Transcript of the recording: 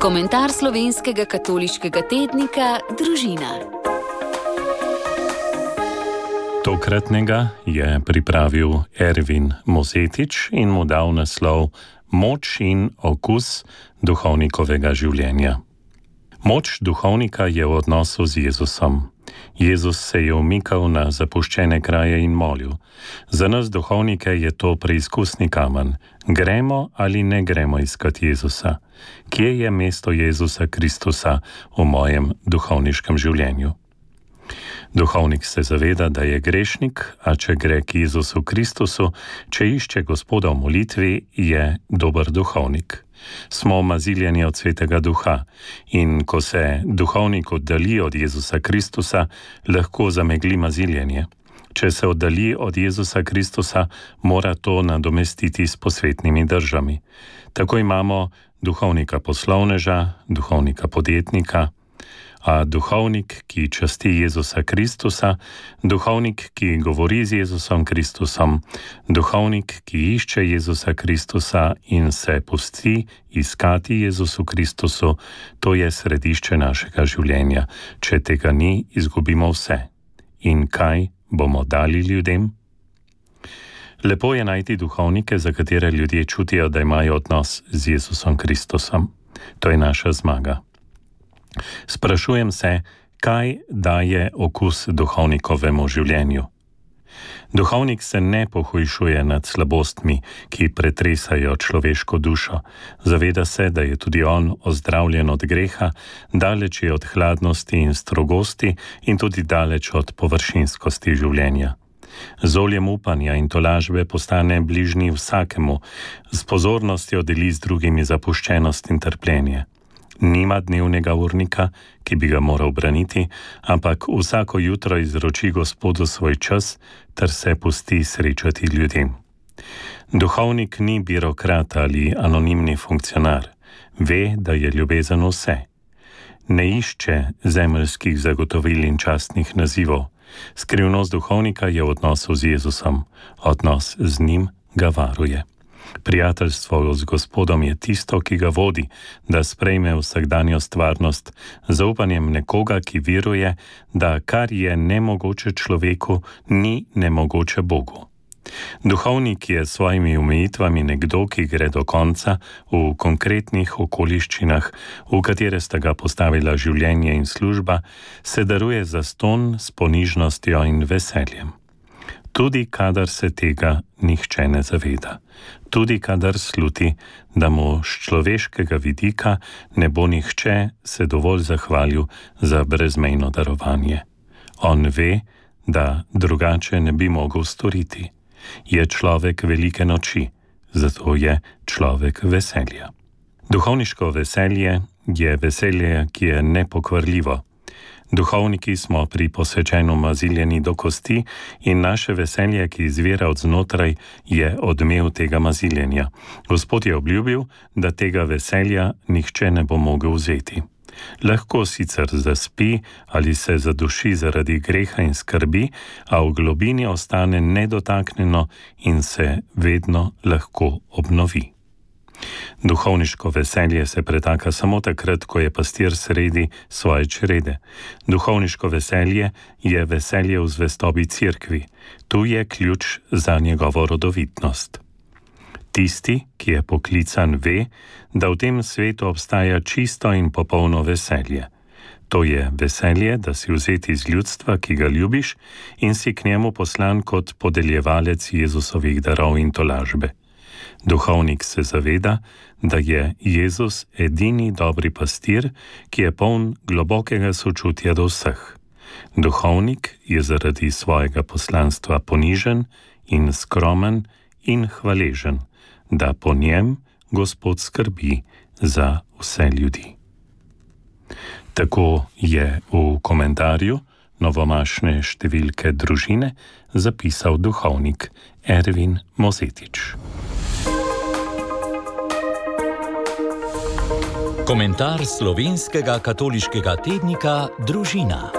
Komentar slovenskega katoliškega tednika Družina. Tokratnega je pripravil Ervin Mozetič in mu dal naslov Moč in okus duhovnikovega življenja. Moč duhovnika je v odnosu z Jezusom. Jezus se je umikal na zapuščene kraje in molil. Za nas duhovnike je to preizkusni kamen. Gremo ali ne gremo iskat Jezusa? Kje je mesto Jezusa Kristusa v mojem duhovniškem življenju? Duhovnik se zaveda, da je grešnik, a če gre k Jezusu Kristusu, če išče Gospoda v molitvi, je dober duhovnik. Smo maziljeni od Svetega Duha in ko se duhovnik oddalji od Jezusa Kristusa, lahko zamegli maziljenje. Če se oddalji od Jezusa Kristusa, mora to nadomestiti s posvetnimi držami. Tako imamo duhovnika poslovneža, duhovnika podjetnika, a duhovnik, ki časti Jezusa Kristusa, duhovnik, ki govori z Jezusom Kristusom, duhovnik, ki išče Jezusa Kristusa in se pusti iskati Jezusu Kristusu, to je središče našega življenja. Če tega ni, izgubimo vse. In kaj bomo dali ljudem? Lepo je najti duhovnike, za katere ljudje čutijo, da imajo odnos z Jezusom Kristusom. To je naša zmaga. Sprašujem se, kaj daje okus duhovnikovemu življenju. Duhovnik se ne pohujšuje nad slabostmi, ki pretresajo človeško dušo. Zaveda se, da je tudi on ozdravljen od greha, daleč je od hladnosti in strogosti in tudi daleč od površinskosti življenja. Z oljem upanja in tolažbe postane bližnji vsakemu, s pozornostjo deli z drugimi zapuščenost in trpljenje. Nima dnevnega urnika, ki bi ga moral braniti, ampak vsako jutro izroči Gospodu svoj čas ter se pusti srečati ljudem. Duhovnik ni birokrat ali anonimni funkcionar. Ve, da je ljubezen vse. Ne išče zemeljskih zagotovil in častnih nazivov. Skrivnost duhovnika je v odnosu z Jezusom. Odnos z njim ga varuje. Prijateljstvo z Gospodom je tisto, ki ga vodi, da sprejme vsakdanjo stvarnost z zaupanjem nekoga, ki veruje, da kar je nemogoče človeku, ni nemogoče Bogu. Duhovnik je s svojimi omejitvami nekdo, ki gre do konca v konkretnih okoliščinah, v katere sta ga postavila življenje in služba, se daruje zastonj s ponižnostjo in veseljem. Tudi kadar se tega nihče ne zaveda. Tudi kadar sluti, da mu z človeškega vidika ne bo nihče se dovolj zahvalil za brezmejno darovanje. On ve, da drugače ne bi mogel storiti. Je človek velike noči, zato je človek veselja. Duhovniško veselje je veselje, ki je nepokvarljivo. Duhovniki smo pri posvečenju maziljeni do kosti in naše veselje, ki izvira od znotraj, je odmev tega maziljenja. Gospod je obljubil, da tega veselja nihče ne bo mogel vzeti. Lahko sicer zaspi ali se zaduši zaradi greha in skrbi, a v globini ostane nedotaknjeno in se vedno lahko obnovi. Duhovniško veselje se pretaka samo takrat, ko je pastir sredi svoje črede. Duhovniško veselje je veselje v zvestobi cerkvi. Tu je ključ za njegovo rodovitnost. Tisti, ki je poklican, ve, da v tem svetu obstaja čisto in popolno veselje. To je veselje, da si vzeti iz ljudstva, ki ga ljubiš, in si k njemu poslan kot podeljevalec Jezusovih darov in tolažbe. Duhovnik se zaveda, da je Jezus edini dobri pastir, ki je poln globokega sočutja do vseh. Duhovnik je zaradi svojega poslanstva ponižen in skromen in hvaležen, da po njem Gospod skrbi za vse ljudi. Tako je v komentarju novomašne številke Družine zapisal duhovnik Ervin Mozetič. Komentar slovenskega katoliškega tednika Družina.